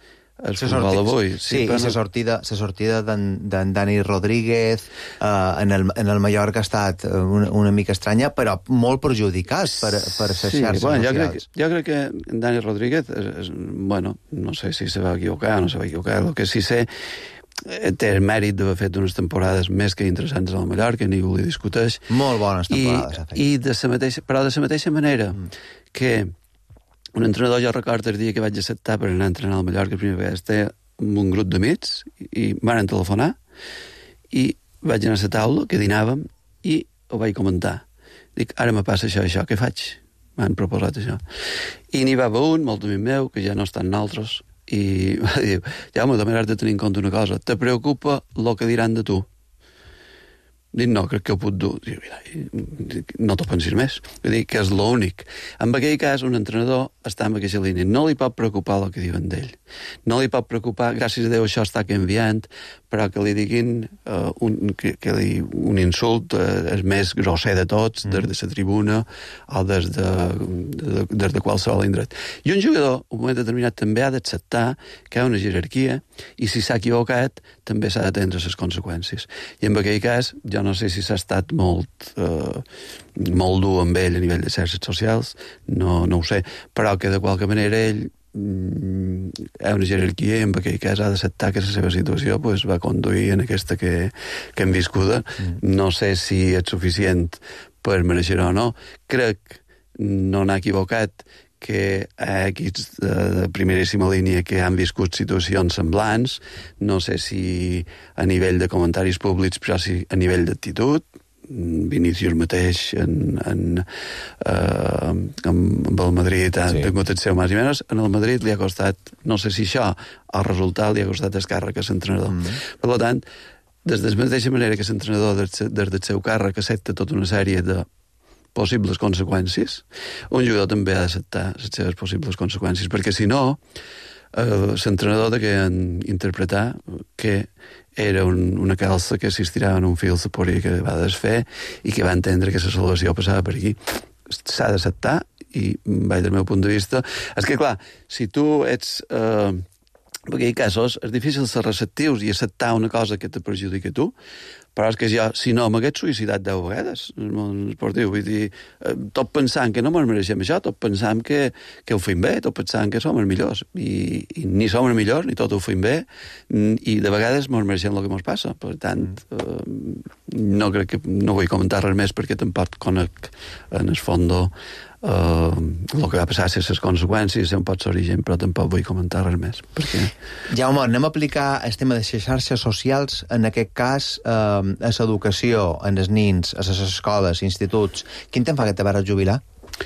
el futbol avui. Sí, sí, i la sortida, la sortida d'en Dani Rodríguez eh, en, el, en el Mallorca ha estat una, una mica estranya, però molt perjudicat per, per les sí, xarxes bueno, socials. Jo crec, jo crec que en Dani Rodríguez, és, és, bueno, no sé si se va equivocar o no se va equivocar, el que sí sé té el mèrit d'haver fet unes temporades més que interessants al Mallorca, ningú li discuteix. Molt bones temporades. I, i de la mateixa, però de la mateixa manera mm. que un entrenador, jo recordo el dia que vaig acceptar per anar a entrenar al Mallorca, la primera vegada, estava amb un grup d'amics i m'han telefonar i vaig anar a la taula, que dinàvem, i ho vaig comentar. Dic, ara me passa això, això, què faig? M'han proposat això. I n'hi va haver un, molt amic meu, que ja no estan nosaltres, i va dir, ja, home, també has de tenir en compte una cosa, te preocupa el que diran de tu? Dic, no, crec que ho puc dur. Dic, mira, no t'ho pensis més. Vull dir que és l'únic. En aquell cas, un entrenador està en aquella línia. No li pot preocupar el que diuen d'ell. No li pot preocupar, gràcies a Déu això està canviant, però que li diguin uh, un, que, que li, un insult uh, és més grosser de tots, mm. des de la tribuna o des de, de, des de qualsevol indret. I un jugador, en un moment determinat, també ha d'acceptar que hi ha una jerarquia i si s'ha equivocat, també s'ha d'atendre les conseqüències. I en aquell cas, jo no sé si s'ha estat molt, eh, molt dur amb ell a nivell de xarxes socials, no, no ho sé, però que de qualque manera ell mm, hi ha una jerarquia i en aquell cas ha d'acceptar que la seva situació pues, va conduir en aquesta que, que hem viscuda. Mm. No sé si és suficient per mereixer o no. Crec no n'ha equivocat que hi ha equips de, de primeríssima línia que han viscut situacions semblants, no sé si a nivell de comentaris públics, però sí a nivell d'actitud. Vinícius mateix en, en, eh, amb el Madrid ha sí. tingut el seu més i menys. En el Madrid li ha costat, no sé si això, el resultat li ha costat el càrrec a l'entrenador. Mm. Per tant, des de la mateixa manera que l'entrenador des, des del seu càrrec accepta tota una sèrie de possibles conseqüències, un jugador també ha d'acceptar les seves possibles conseqüències, perquè si no, eh, l'entrenador de que en interpretar que era un, una calça que s'estirava en un fil sapori que va desfer i que va entendre que la salvació passava per aquí. S'ha d'acceptar i, vaig del meu punt de vista, és que clar, si tu ets... Eh, en aquells casos és difícil ser receptius i acceptar una cosa que te perjudica a tu, però és que jo, si no, m'hagués suïcidat deu vegades en el món esportiu, vull dir, tot pensant que no ens mereixem això, tot pensant que, que ho fem bé, tot pensant que som els millors, i, i ni som els millors, ni tot ho fem bé, i de vegades ens mereixem el que ens passa, per tant, eh, no crec que, no vull comentar res més perquè tampoc conec en el fons Uh, el que va passar ser les conseqüències, ser un pot l'origen, però tampoc vull comentar res més. Perquè... Jaume, anem a aplicar el tema de les xarxes socials, en aquest cas, eh, a l'educació, en els nins, a les escoles, instituts. Quin temps fa que te vas jubilar?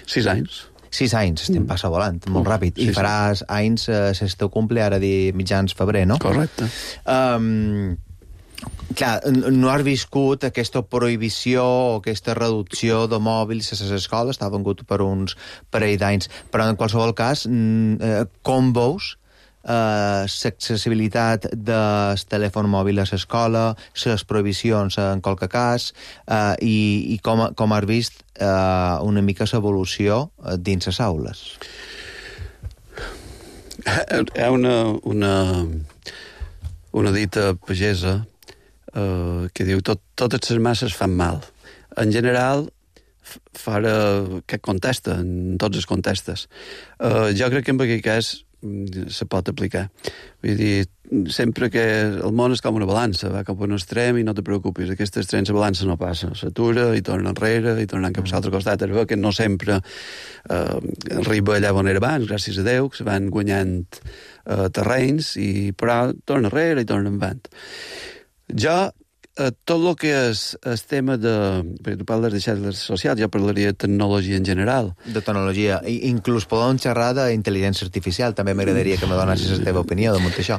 Sis anys. Sis anys, estem passa volant, molt ràpid. I sí, faràs sí. anys, eh, el teu cumple, ara dir mitjans febrer, no? Correcte. Um, clar, no has viscut aquesta prohibició o aquesta reducció de mòbils a les escoles, està vengut per uns parell d'anys, però en qualsevol cas, com veus eh, l'accessibilitat del telèfon mòbil a l'escola, les prohibicions en qualque cas, eh, i, i com, com has vist eh, una mica l'evolució dins les aules? Hi ha una, una, una dita pagesa Uh, que diu tot, totes les masses fan mal. En general, fora que contesta, en tots els contestes. Uh, jo crec que en aquest cas se pot aplicar. Vull dir, sempre que el món és com una balança, va cap a un extrem i no te preocupis, aquest extrem la balança no passa, s'atura i torna enrere i torna cap a l'altre costat. Es veu que no sempre uh, arriba allà on era abans, gràcies a Déu, que se van guanyant uh, terrenys, i, però torna enrere i torna endavant. Jo, eh, tot el que és el tema de... Perquè tu parles de xarxes socials, jo parlaria de tecnologia en general. De tecnologia. I, inclús podem xerrar d'intel·ligència artificial. També m'agradaria que me donessis la teva opinió de tot això.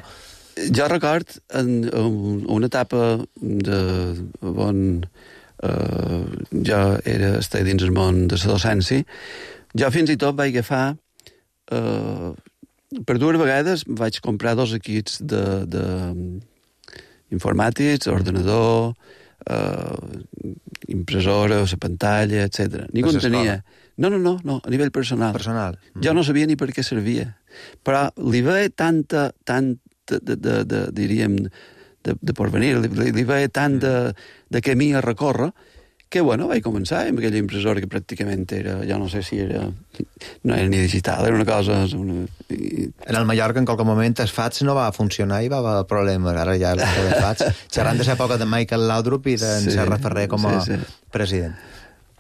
Jo record en, en una etapa de on eh, jo era estar dins el món de la docència, jo fins i tot vaig agafar... Eh, per dues vegades vaig comprar dos equips de... de informàtics, ordenador, eh, impressora, la pantalla, etcètera. Ningú en tenia. No, no, no, no, a nivell personal. Personal. Mm. Jo no sabia ni per què servia. Però li veia tanta, tant, de, de, de, de, diríem, de, de porvenir, li, li veia tant de, de camí a recórrer, que, bueno, vaig començar amb aquella impressora que pràcticament era, jo no sé si era... No era ni digital, era una cosa... Una... En el Mallorca, en qualque moment, el fax no va funcionar i va haver problemes. Ara ja el fax, xerrant de l'època de Michael Laudrup i d'en sí, Serra Ferrer com a sí, sí. president.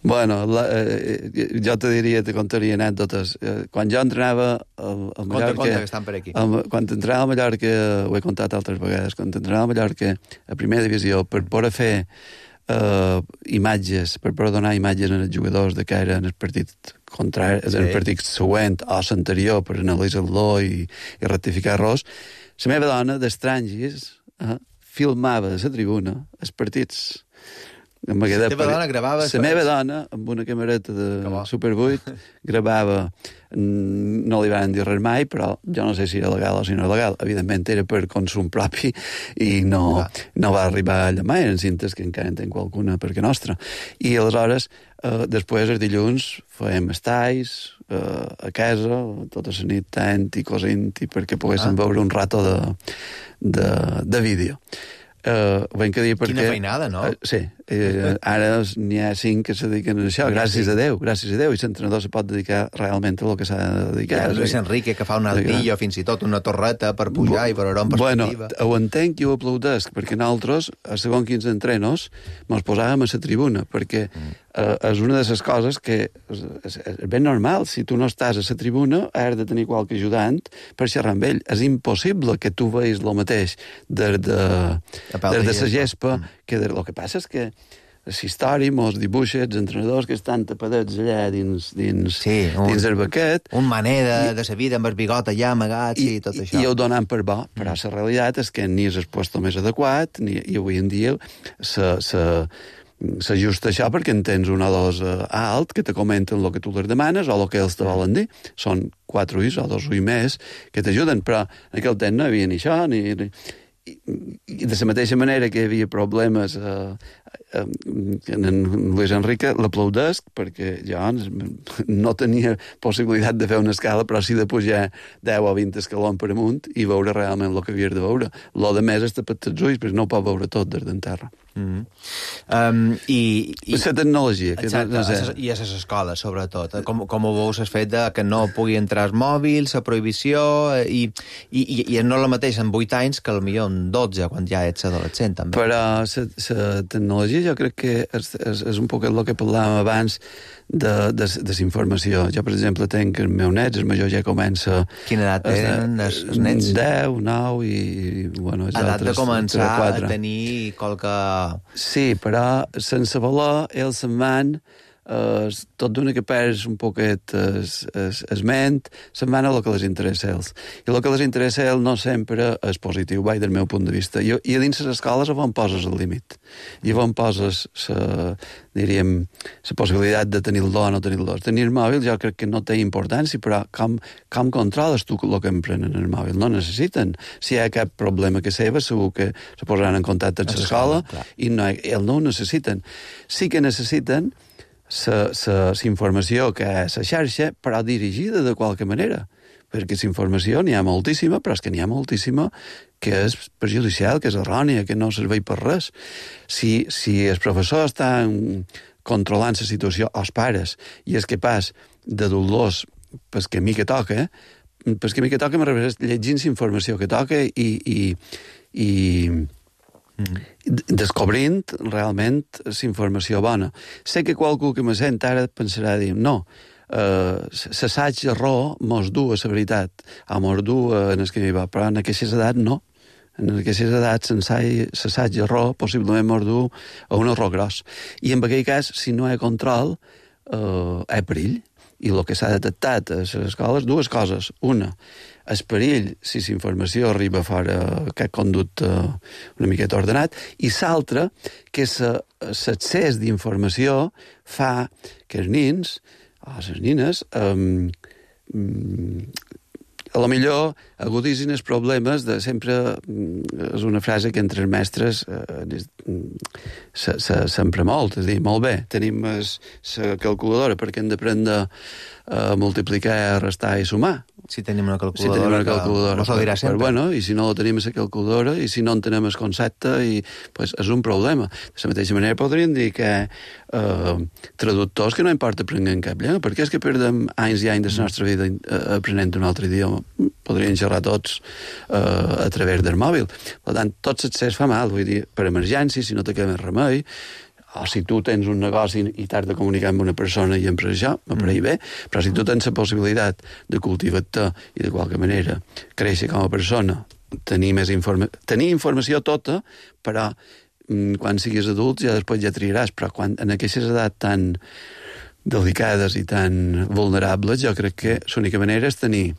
Bueno, la, eh, jo te diria, te contaria anècdotes. Eh, quan jo entrenava al, al Mallorca... Conta, conta, que estan per aquí. Al, quan entrenava al Mallorca, ho he contat altres vegades, quan entrenava al Mallorca a primera divisió, per poder fer Uh, imatges, per poder donar imatges als jugadors de cara en el partit contrari, sí. en el partit següent o l'anterior per analitzar-lo i, i rectificar errors, la meva dona d'estrangis uh, filmava de la tribuna els partits. La meva dona gravava... La meva dona, amb una camereta de Super vuit, gravava... No li van dir res mai, però jo no sé si era legal o si no era legal. Evidentment era per consum propi i no, no va arribar allà mai. Eren cintes que encara en tenc qualcuna perquè nostra. I aleshores, eh, després, els dilluns, fèiem estais eh, a casa, tota la nit tant i cosint, i perquè poguéssim ah. veure un rato de, de, de vídeo. Uh, dir perquè... Quina feinada, no? Uh, sí. Uh, ara n'hi ha cinc que se dediquen a això, gràcies sí. a Déu, gràcies a Déu, i l'entrenador se pot dedicar realment a el que s'ha de dedicar. I Luis Enrique, que fa un altillo, fins i tot una torreta per pujar Bu i per veure en perspectiva. Bueno, ho entenc i ho aplaudesc, perquè nosaltres, a segons quins entrenos, mos posàvem a la tribuna, perquè mm. uh, és una de les coses que és, és, és ben normal. Si tu no estàs a la tribuna, has de tenir qualque ajudant per xerrar amb ell. És impossible que tu veis el mateix des de... des de la gespa, mm. que de, el que passa és que la història mos dibuixa els entrenadors que estan tapadets allà dins, dins, sí, un, dins el baquet. Un maner de, de sa vida amb el bigot allà amagat i, i tot això. I ho donen per bo, però mm. la realitat és que ni és el puesto més adequat, ni, i avui en dia s'ajusta això perquè en tens un o dos uh, alt que te comenten el que tu les demanes o el que ells te volen dir. Són quatre ulls o dos ulls més que t'ajuden, però en aquell temps no hi havia ni això, ni... ni I, i de la mateixa manera que hi havia problemes eh, eh, en, en Luis Enrique l'aplaudesc perquè jo no tenia possibilitat de fer una escala, però sí de pujar deu o vint escalons per amunt i veure realment el que havies de veure. Lo de més és tapat els ulls perquè no ho pot veure tot des d'en terra. Mm-hmm. um, i, i la tecnologia que exacte, no sé. I a les escoles sobretot com, com ho veus el fet de que no pugui entrar els mòbils, la prohibició i, i, i no és el mateix en vuit anys que potser són dotze quan ja ets adolescent, també. Però la tecnologia jo crec que és, és, és un poc el que parlàvem abans de, de, de la informació. Jo, per exemple, tenc els meus nets, el major ja comença... Quina edat tenen els, els nets? deu, nou i... i bueno, els edat altres, de començar quatre. a tenir qualque... Sí, però sense voler, ells se'n van... Uh, tot d'una que perds un poquet es, es, es ment, se'n van a el que les interessa a ells. I el que les interessa a ells no sempre és positiu, vai, del meu punt de vista. I, i a dins les escoles on poses el límit. I on poses la, diríem, la possibilitat de tenir-lo o no tenir-lo. Tenir el mòbil jo crec que no té importància, però com, com controles tu el que emprenen el mòbil? No necessiten. Si hi ha cap problema que seva, segur que se posaran en contacte amb l'escola i no, ells no ho necessiten. Sí que necessiten la informació que és a xarxa, però dirigida de qualque manera. Perquè la informació n'hi ha moltíssima, però és que n'hi ha moltíssima que és perjudicial, que és errònia, que no serveix per res. Si, si el professor està controlant la situació, els pares, i és capaç de dur-los pel camí que toca, pel camí que toca me refereix llegint la informació que toca i... i, i descobrint realment la informació bona. Sé que qualcú que me sent ara pensarà dir, no, l'assaig error mos du a la veritat, o mos du en el camí va, però en aquestes edats no. En aquestes edats l'assaig error possiblement mos du a un error gros. I en aquell cas, si no hi ha control, eh, hi ha perill. I el que s'ha detectat a les escoles, dues coses. Una, el perill si la informació arriba fora aquest conducte una miqueta ordenat, i l'altra, que l'accés d'informació fa que els nins, o les nines, um, a lo millor agudisin els problemes de sempre... És una frase que entre els mestres eh, s'empra molt, és a dir, molt bé, tenim la calculadora perquè hem d'aprendre a multiplicar, restar i sumar. Si tenim una calculadora, si tenim una calculadora no s'ho dirà sempre. Però, bueno, i si no tenim la calculadora, i si no entenem el concepte, i, pues, és un problema. De la mateixa manera podríem dir que eh, traductors que no importa aprenent cap llengua, perquè és que perdem anys i anys de la nostra vida aprenent un altre idioma. Podrien xerrar tots eh, a través del mòbil. Per tant, tot l'accés fa mal, vull dir, per emergència, si no te queda més remei, o si tu tens un negoci i t'has de comunicar amb una persona i per això, m'apareix bé, però si tu tens la possibilitat de cultivar-te i de qualque manera créixer com a persona, tenir més informa tenir informació tota, però quan siguis adult ja després ja triaràs, però quan, en aquestes edats tan delicades i tan vulnerables, jo crec que l'única manera és tenir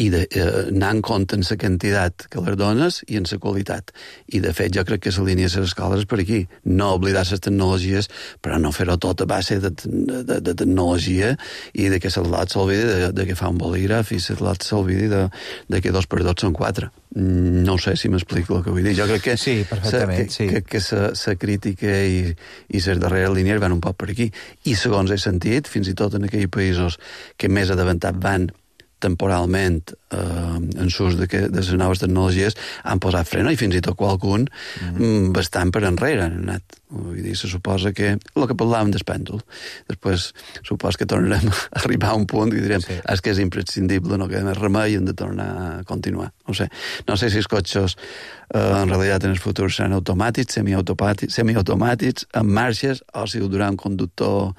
i de, eh, anar en compte en la quantitat que les dones i en la qualitat. I, de fet, jo crec que la línia de les escoles és per aquí. No oblidar les tecnologies, però no fer-ho tot a base de, de, de tecnologia i de que l'altre s'olvidi de, de que fa un bolígraf i l'altre s'olvidi de, de que dos per dos són quatre. No sé si m'explico el que vull dir. Jo crec que sí, perfectament, sa, sí. que, que sa, sa crítica i, i les darreres línies van un poc per aquí. I, segons he sentit, fins i tot en aquells països que més adavantat van temporalment eh, en l'ús de, de les noves tecnologies han posat freno i fins i tot qualcun mm. bastant per enrere han anat. Vull dir, se suposa que el que parlàvem del pèndol. Després suposo que tornarem a arribar a un punt i direm sí. és que és imprescindible, no queda més remei i hem de tornar a continuar. No sé, no sé si els cotxes eh, en realitat en el futur seran automàtics, semiautomàtics, semiautomàtics amb marxes, o si ho durà un conductor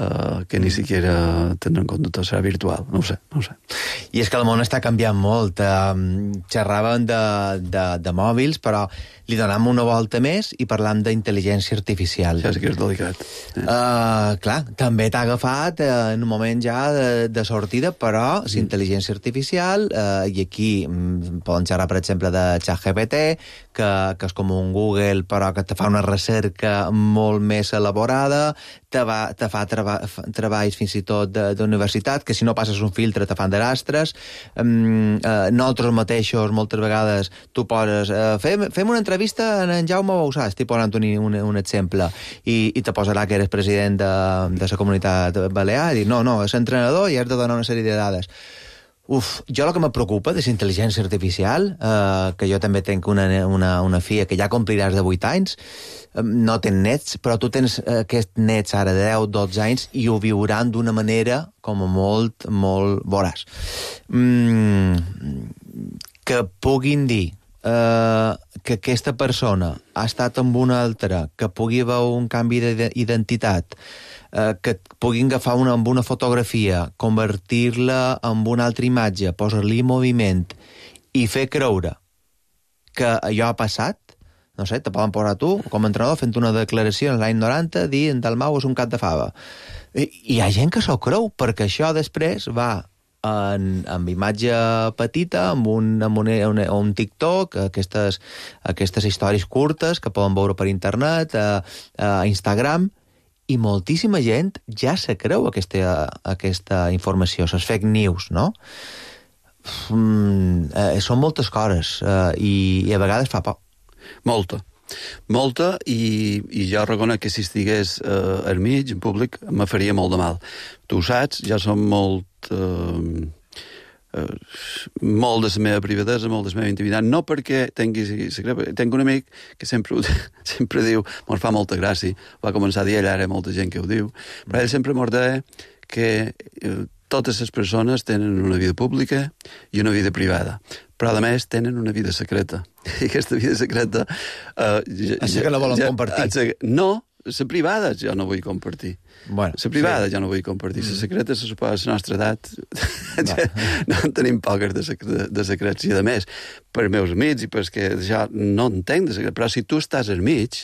eh, que ni siquiera tindrà un conductor, serà virtual. No ho sé, no ho sé. I és que el món està canviant molt. Um, xerràvem de, de, de mòbils, però li donam una volta més i parlam d'intel·ligència artificial. Això sí que és delicat. Eh? Uh, clar, també t'ha agafat uh, en un moment ja de, de sortida, però mm. l'intel·ligència artificial, uh, i aquí um, podem xerrar, per exemple, de ChatGPT, que, que és com un Google, però que te fa una recerca molt més elaborada, te, va, te fa treba, treballs fins i tot d'universitat, que si no passes un filtre te fan de rastres. Um, uh, nosaltres mateixos, moltes vegades, tu poses... Uh, fem, fem una entrevista en en Jaume Bausà, estic posant un, un, un exemple, i, i te posarà que eres president de, de la comunitat balear, i dir, no, no, és entrenador i has de donar una sèrie de dades. Uf, jo el que me preocupa de la intel·ligència artificial, eh, que jo també tenc una, una, una filla que ja compliràs de vuit anys, eh, no ten nets, però tu tens eh, aquests nets ara de deu, dotze anys i ho viuran d'una manera com a molt, molt voraç. Mm, que puguin dir eh, que aquesta persona ha estat amb una altra, que pugui haver un canvi d'identitat, eh, que puguin agafar una, amb una fotografia, convertir-la en una altra imatge, posar-li moviment i fer creure que allò ha passat, no sé, te poden posar tu, com a entrenador, fent una declaració en l'any noranta, dir en Dalmau és un cap de fava. I hi ha gent que s'ho creu, perquè això després va en, amb imatge petita, amb un, amb un, un, un TikTok, aquestes, aquestes històries curtes que poden veure per internet, a, a Instagram, i moltíssima gent ja se creu aquesta, aquesta informació, les fake news, no? Mm, eh, són moltes coses eh, i, i a vegades fa por. Molta. Molta, i, i jo reconec que si estigués eh, al mig, en públic, me faria molt de mal. Tu ho saps, ja som molt... Eh, eh, molt de la meva privadesa, molt de la meva intimitat, no perquè tingui secret. Tinc un amic que sempre, sempre diu, mos fa molta gràcia, va començar a dir ell, ara molta gent que ho diu, però ell sempre mos deia que eh, totes les persones tenen una vida pública i una vida privada, però a més tenen una vida secreta. I aquesta vida secreta... Eh, ja, Així que no volen ja, compartir. No, la privada jo no vull compartir. Bueno, la privada sí. jo no vull compartir. La secreta, se suposa, a la nostra edat, no, no en tenim poques de, secret, de secrets. I a més, per meus amics, i perquè jo no entenc de secret, però si tu estàs al mig,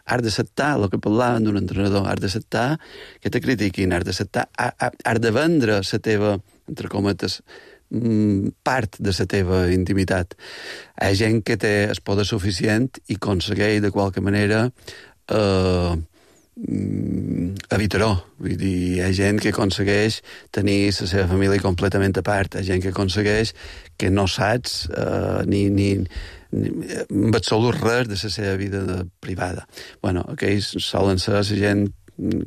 has d'acceptar el que parlaven d'un entrenador, has d'acceptar que te critiquin, has d'acceptar, has de vendre la teva, entre cometes, part de la teva intimitat. Hi ha gent que té el poder suficient i aconsegueix de qualque manera eh, evitar-ho. Vull dir, hi ha gent que aconsegueix tenir la seva família completament a part, hi ha gent que aconsegueix que no saps eh, ni, ni, ni amb absolut res de la seva vida de, privada. Bueno, aquells solen ser la gent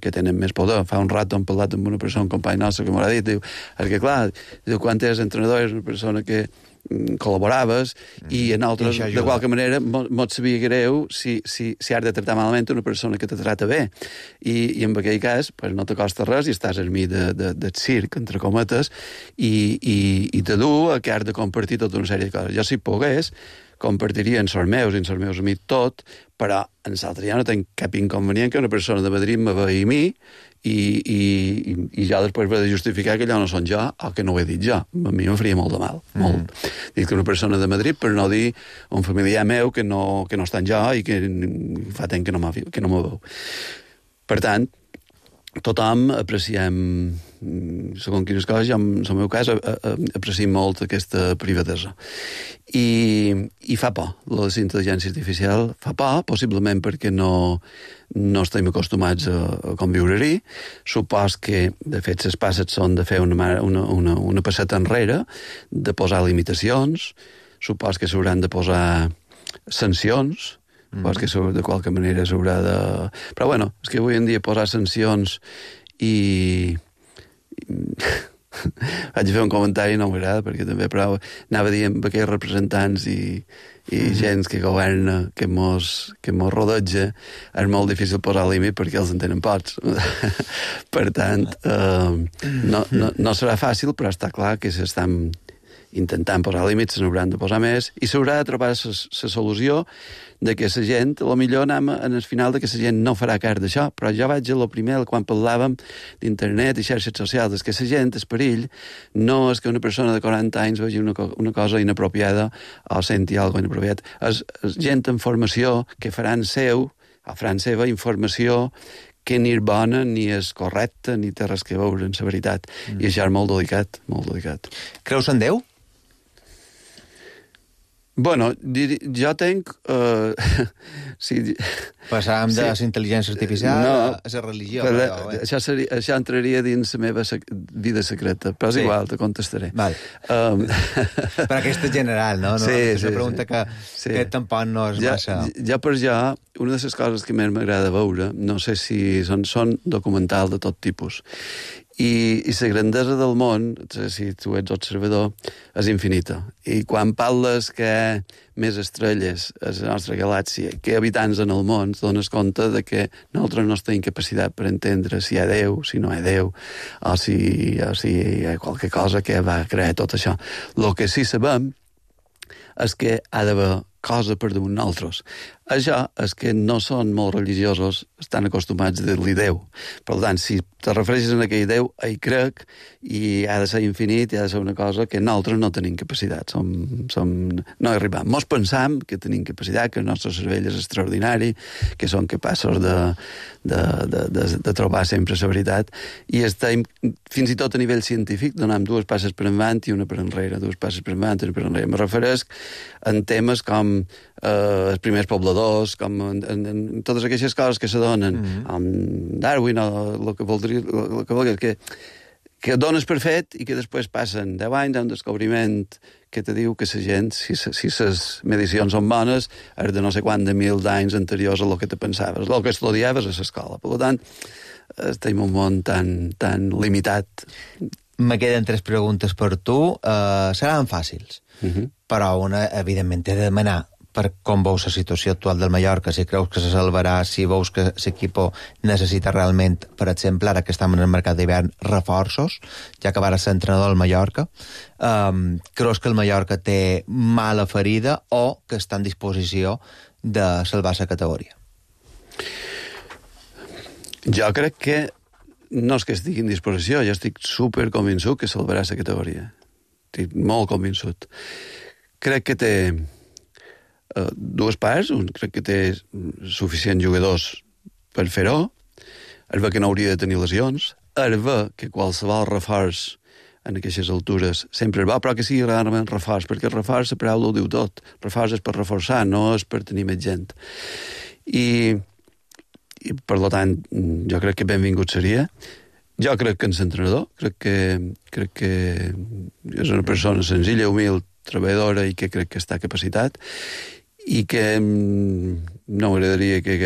que tenen més poder. Fa un rato hem parlat amb una persona, un company nostre, que m'ha dit, diu, perquè clar, diu, quan eres entrenador és una persona que col·laboraves mm. i en altres, I de qualque manera, mos sabia greu si, si, si has de tractar malament una persona que te trata bé. I, i en aquell cas, pues, no te costa res i estàs al mig de, de, de circ, entre cometes, i, i, i te du a que has de compartir tota una sèrie de coses. Jo, si pogués, compartiria en els meus i en els meus amics tot, però en l'altre ja no tenc cap inconvenient que una persona de Madrid me vegi a mi i, i, i, i jo després he de justificar que allò no són jo o que no ho he dit jo. A mi em faria molt de mal, mm. molt. Dic que una persona de Madrid, per no dir un familiar meu que no, que no està en jo i que fa temps que no me veu. Per tant, tothom apreciem, segons quines coses, jo, en el meu cas, apreciem molt aquesta privadesa. I, i fa por, la intel·ligència artificial fa por, possiblement perquè no, no estem acostumats a, a conviure-hi. Supos que, de fet, les passes són de fer una, una, una, una passeta enrere, de posar limitacions, supos que s'hauran de posar sancions, Mm. Pues que de qualque manera s'haurà de... Però bueno, és que avui en dia posar sancions i... Vaig fer un comentari, no m'agrada, perquè també, però anava a dir amb aquells representants i, i mm. gent que governa, que mos, que mos rodeja, és molt difícil posar límit perquè els en tenen pocs. Per tant, eh, no, no, no serà fàcil, però està clar que s'estan intentant posar límits, se n'hauran de posar més, i s'haurà de trobar la solució de que la gent, a lo millor anem en el final de que la gent no farà cas d'això, però jo vaig a lo primer, quan parlàvem d'internet i xarxes socials, és que la gent, el perill, no és que una persona de quaranta anys vegi una, una cosa inapropiada o senti alguna cosa inapropiat. És, és gent amb formació que faran seu, o faran seva informació que ni és bona, ni és correcta, ni té res que veure en la veritat. Mm. I això és molt delicat, molt delicat. Creus en Déu? Bueno, jo tenc... Uh, sí, Passàvem sí. de la intel·ligència artificial no, a la religió. Però, però, eh? això, seria, això entraria dins la meva sec vida secreta, però és sí. igual, te contestaré. Vale. Um... però aquesta és general, no? no sí, és una sí, pregunta sí. que, sí. que tampoc no és ja, massa... Ja per ja, una de les coses que més m'agrada veure, no sé si són, són documentals de tot tipus, i, i la grandesa del món, si tu ets observador, és infinita. I quan parles que hi ha més estrelles a la nostra galàxia que habitants en el món, dones compte de que nosaltres no tenim capacitat per entendre si hi ha Déu, si no hi ha Déu, o si, o si hi ha qualque cosa que va crear tot això. El que sí sabem és que ha d'haver cosa per damunt nosaltres. Això és que no són molt religiosos, estan acostumats a dir-li Déu. Per tant, si te refereixes a aquell Déu, hi crec, i ha de ser infinit, i ha de ser una cosa que nosaltres no tenim capacitat. Som, som, no hi arribam. Mos pensam que tenim capacitat, que el nostre cervell és extraordinari, que són capaços de, de, de, de, de trobar sempre la veritat, i estem, fins i tot a nivell científic, donem dues passes per endavant i una per enrere, dues passes per endavant i una per enrere. Me refereix en temes com eh, els primers pobladors, com en, en, en totes aquestes coses que se donen mm-hmm. amb Darwin, o el que voldria, el que voldria, que, que dones per fet i que després passen deu anys a un descobriment que te diu que la gent, si si les medicions són bones, és de no sé quant de mil d'anys anteriors a el que te pensaves, el que estudiaves a l'escola. Per tant, estem en un món tan, tan limitat. Me queden tres preguntes per tu. Uh, seran fàcils, uh-huh. però una, evidentment, t'he de demanar per com veus la situació actual del Mallorca, si creus que se salvarà, si veus que l'equip necessita realment, per exemple, ara que estem en el mercat d'hivern, reforços, ja que vas ser entrenador del Mallorca. Um, creus que el Mallorca té mala ferida o que està en disposició de salvar la categoria? Jo crec que no és que estigui en disposició, jo estic super convençut que salvarà la categoria. Estic molt convençut. Crec que té uh, dues parts. Un, crec que té suficients jugadors per fer-ho. Es ve que no hauria de tenir lesions. Es ve que qualsevol reforç en aquestes altures sempre va, però que sigui realment reforç, perquè el reforç, la paraula ho diu tot. Reforç és per reforçar, no és per tenir més gent. I... i per tant, jo crec que benvingut seria. Jo crec que en l'entrenador, crec que, crec que és una persona senzilla, humil, treballadora i que crec que està capacitat i que no m'agradaria que hagués